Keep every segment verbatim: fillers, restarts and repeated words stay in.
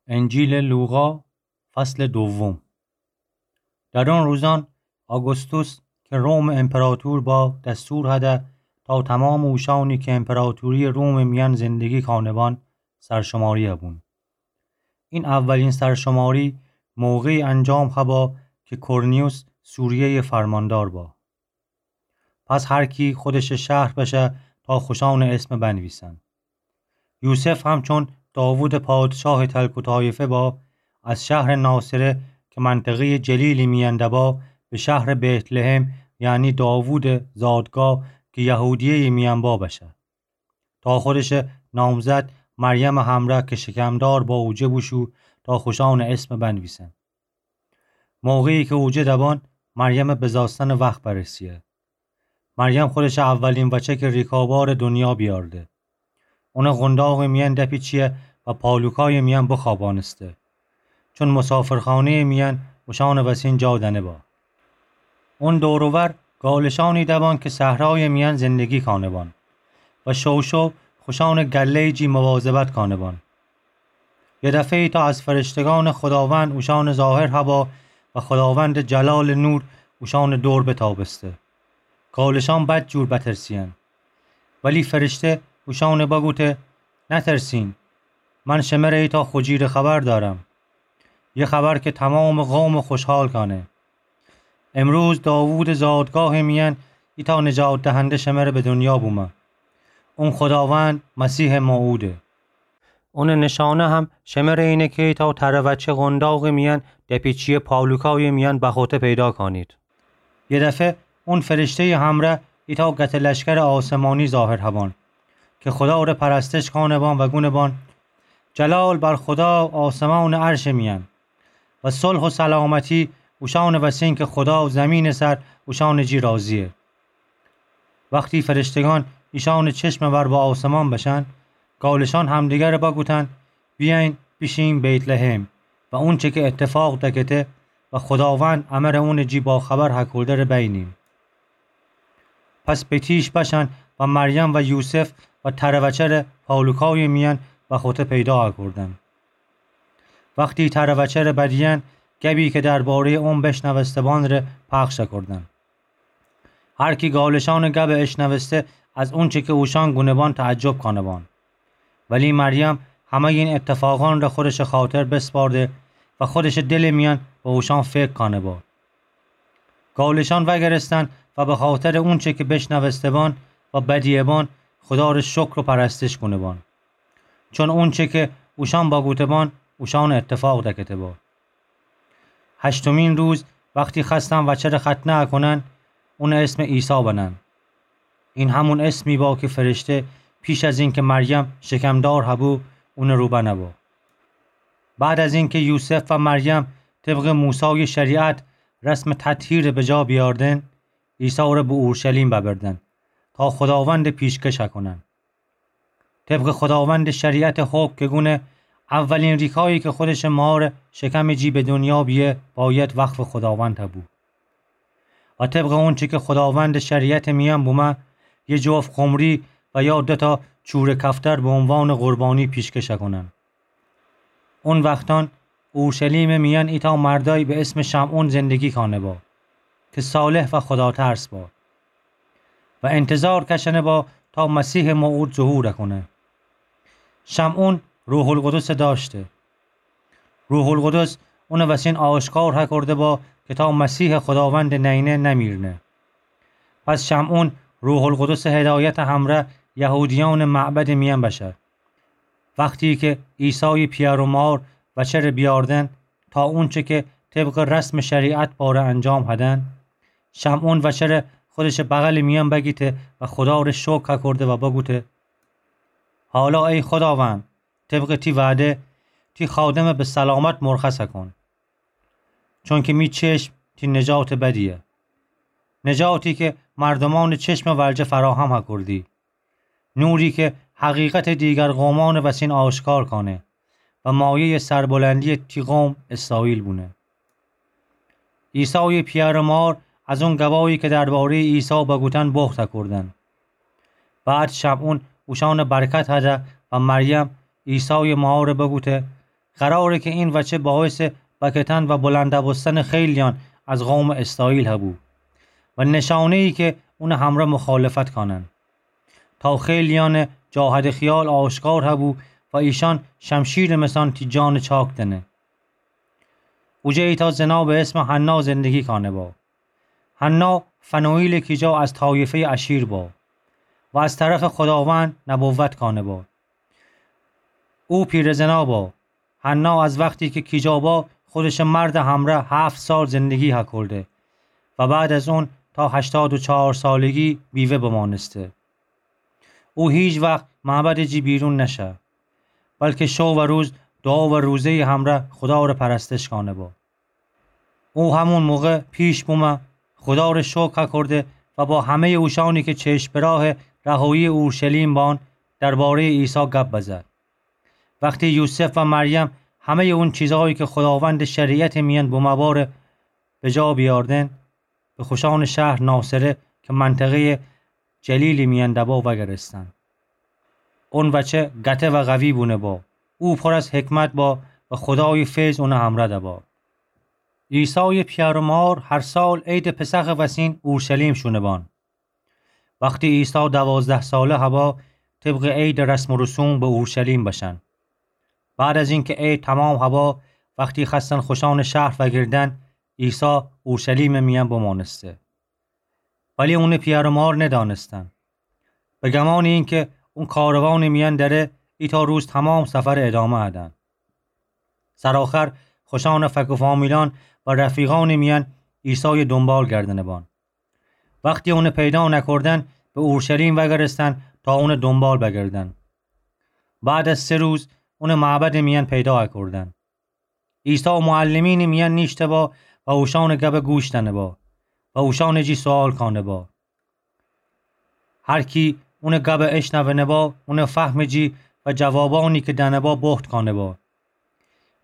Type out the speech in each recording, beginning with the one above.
انجیلٚ لوقا، فصلٚ دوم. در اون روزأن آگوستوس که رومٚ امپراطور با، دستور هده تا تومامٚ اوشأنی که امپراطوریٚ رومٚ میأن زندگی کانه‌بان سرشماری هبون. این اولین سرشماری موقعی انجام هبا که کرنیوس سوریه‌یٚ فرماندار با. پس هر کی خودشٚ شهر بشه تا خوشأنٚ اسم بنویسن. یوسف همچون داوودٚ پادشاهٚ تلک و طایفه با، از شهرٚ ناصره که منطقه‌یٚ جلیلی میأن دبا، به شهرٚ بتلحم، یعنی داوودٚ زادگاه که یهودیه‌یٚ میأن با بشه، تا خودشٚ نامزد مریمٚ همره که شکمدار با اوجه بوشو تا خوشأنٚ اسم بنویسن. موقعی که اوجه دبان، مریمٚ بزاستنٚ وخت برسیه. مریم خودشٚ اولین وچه که ریکابارٚ دنیا بیارده. اونٚ قونداغٚ میأن دپیچیه و پالوکایٚ میأن بخوابانسته. چون مسافرخانه‌یٚ میأن اوشأنٚ وسین جا دنه با. اون دور و ور گالشأنی دبان که صحرایٚ میأن زندگی کانه‌بان و شوشو خوشأنٚ گله‌یٚ جی مواظبت کانه‌بان. یه دفعه‌یی تا از فرشتگانٚ خداوند اوشأنٚ ظاهر هبا و خداوندٚ جلالٚ نور اوشأنٚ دور بتابسته. گالشأن بد جور بترسیأن. ولی فرشته اوشأنٚ بگوته: نترسین، من شمره ایتا خوجیرٚ خبر دأرم، یه خبر که تومامٚ قوم خوشحال کانه. امروز داوودٚ زادگاهٚ میأن ایتا نجات دهنده شمره به دنیا بومه. اون خداوند مسیحٚ موعوده. اونٚ نشانه هم شمره اینه که ایتا تره وچه قونداغٚ میأن دپیچیه، پالوکایٚ میأن بخوته پیدا کانید. یه دفعه اون فرشته‌یٚ همره ایتا گته لشکرٚ آسمانی ظاهر هبان که خدا ره پرستش کانه‌بان و گونه‌بان: جلال بر خدا آسمانٚ عرشٚ میأن و صلح و سلامتی اوشأنٚ وسین که خدا زمینٚ سر اوشأنٚ جی راضیه. وختی فرشتگان ایشأنٚ چشمٚ ور به آسمان بشن، گالشأن همدیگره بگوتن: بیأین بیشیم بیتلحم و اونچه که اتفاق دکته و خداوند امره اونٚ جی باخبر هکوده ره بینیم. پس به تیش بشن و مریم و یوسف و تره وچه ره پالوکایٚ میأن بخوته پیدا هکودن. وختی تره وچه ره بدیأن، گبی که درباره‌یٚ اون بشنوسته‌بان ره پخش هکودن. هر کی گالشأنٚ گب اشنوسته، از اونچه که اوشأن گونه‌بان تعجب کانه‌بان. ولی مریم همه‌یٚ این اتفاقأن ره خودشٚ خاطر بسپارده و خودشٚ دلٚ میأن به اوشأن فکر کانه‌با. گالشأن وأگرستن و به خاطرٚ اونچه که بشنوسته‌بان و بدیه‌بان، خدا ره شکر و پرستش کونه‌بان. چون اونچه که اوشأن بگوته‌بان، اوشأنٚ اتفاق دکته‌با. هشتمین روز وختی خوأستن وچه ره ختنه هکونن، اونٚ اسم عیسی بنن. این همون اسمی با که فرشته پیش از اینکه مریم شکمدار هبو، اونٚ رو بنه با. بعد از اینکه یوسف و مریم طبقٚ موسایٚ شریعت رسمٚ تطهیر به جا بیاردن، عیسی ره به اورشلیم ببردن تا خداوند پیشکش هکونن. طبقٚ خداوندٚ شریعتٚ حکم که گونه اولین ریکایی که خودشٚ مارٚ شکمٚ جی به دنیا بیه، باید وقفٚ خداوند هبو. و طبقٚ اونچه که خداوندٚ شریعتٚ میأن بومه، یه جفت قمری و یا دوتا چوره کفتر به عنوانٚ قربانی پیشکش هکونن. اون وختأن اورشلیمٚ میأن ایتا مردای به اسمٚ شمعون زندگی کانه‌با که صالح و خداترس با و انتظار کشنه‌با تا مسیحٚ موعود ظهور هکونه. شمعون روح‌القدس دأشته. روح‌القدس اونٚ وسین آشکار هکورده‌با که تا مسیحٚ خداوندٚ نئینه نمیرنه. پس شمعون روح‌القدسٚ هدایتٚ همره یهودیأنٚ معبدٚ میأن بشه. وختی که عیسایٚ پیأر و مار وچه ره بیاردن تا اونچه که طبقٚ رسمٚ شریعت باره انجام هدن، شمعون وچه ره خودشٚ بغلٚ میأن بگیته و خدا ره شکر هکورده و بگوته: حالا ای خداوند، طبقٚ تی وعده، تی خادمه به سلامت مرخص هکون. چونکه می چشم تی نجاتٚ بدیه. نجاتی که مردومأنٚ چشمٚ ورجه فراهم هکوردی. نوری که حقیقتٚ دیگر قومأنٚ وسین آشکار کانه و مایه‌یٚ سربلندیٚ تی قوم اسرائیل بونه. عیسایٚ پیأر و مار از اون گبایی که درباره‌یٚ عیسی بگوتن بخت هکوردن. بعد شمعون اوشأنٚ برکت هده و مریم عیسایٚ مار بگوته: قراره که این وچه باعث بکتن و بلنده بوستن خیلیان از قوم اسرائیل هبو و نشانه‌ای که اون همرا مخالفت کانن، تا خیلیان جاهد خیال آشکار هبو و ایشان شمشیر مثان تی جان چاک دنه. اوجه ایتا زنا به اسم حنا زندگی کانه با. حنا فنوئیل کیجا از طایفهٔ آشیر با و از طرف خداوند نبوت کانه با. او پیرزنا با. حنا از وقتی که کیجا با، خودش مرد همرا هفت سال زندگی هکرده و بعد از اون تا هشتاد و چهار سالگی بیوه بمانسته. او هیچ وقت معبد جی بیرون نشه، بلکه شو و روز دعا و روزهٔ همرا خدا ره پرستش کانه با. او همون موقع پیش بومه، خدا ره شکر کرده و با همهٔ اوشانی که چشم به راه رهایی اورشلیم بان، دربارهٔ عیسی گپ بزد. وقتی یوسف و مریم همهٔ اون چیزهایی که خداوند شریعت میان بومه باره به جا بیاردن، به خوشان شهر ناصره که منطقهٔ جلیل میان دبا وگرستن. اون وچه گته و قوی بونه با. او پر از حکمت با و خدای فیض اون همرا دبا. عیسای پیار و مار هر سال عید پسخ وسین اورشلیم شونه بان. وقتی عیسی دوازده ساله هبا، طبق عید رسم و رسوم به اورشلیم بشن. بعد از اینکه عید تمام هبا، وقتی خستن خوشان شهر وگردن، عیسی اورشلیم میان بمانسته. ولی اون پیار و مار ندانستن. به گمان اینکه اون کاروان میان دره، ایتا روز تمام سفر ادامه ادن. سرآخر خوشان فک و فامیلان و رفیقان میان عیسای دنبال گردنه بان. وقتی اون پیدا نکردن، به اورشلیم وگرستن تا اون دنبال بگردن. بعد از سه روز اون معبد میان پیدا کردن. عیسی معلمین میان نیشته با و اوشان گب گوش دنه با و اوشان جی سوال کانه با. هر کی اون گب اشنونه با، اون فهم جی و جوابانی که دنه با بهت کانه با.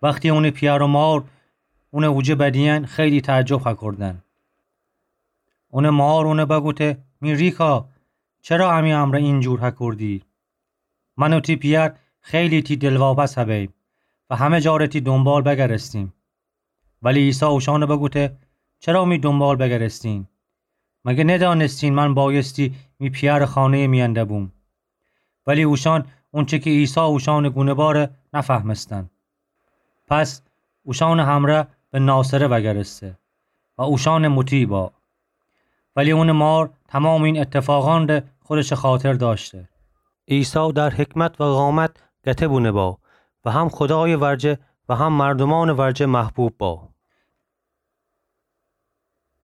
وقتی اون پیار و مار اون اوجه بدین، خیلی تعجب هکردن. اون مار اون بگوته: می ریکا، چرا امی امرا اینجور هکردی؟ من و تی پیار خیلی تی دلواپس هبیم و همه جا ره تی دنبال بگرستیم. ولی عیسی اوشان بگوته: چرا می دنبال بگرستین؟ مگه ندانستین من بایستی می پیار خانه میان دبوم؟ ولی اوشان اونچه که عیسی اوشان گونه باره نفهمستن. پس اوشان همرا به ناصره وگرسته و اوشان مطیع با. ولی اون مار تمام این اتفاقان ره خودش خاطر داشته. عیسی در حکمت و قامت گته بونه با و هم خدای ورجه و هم مردمان ورجه محبوب با.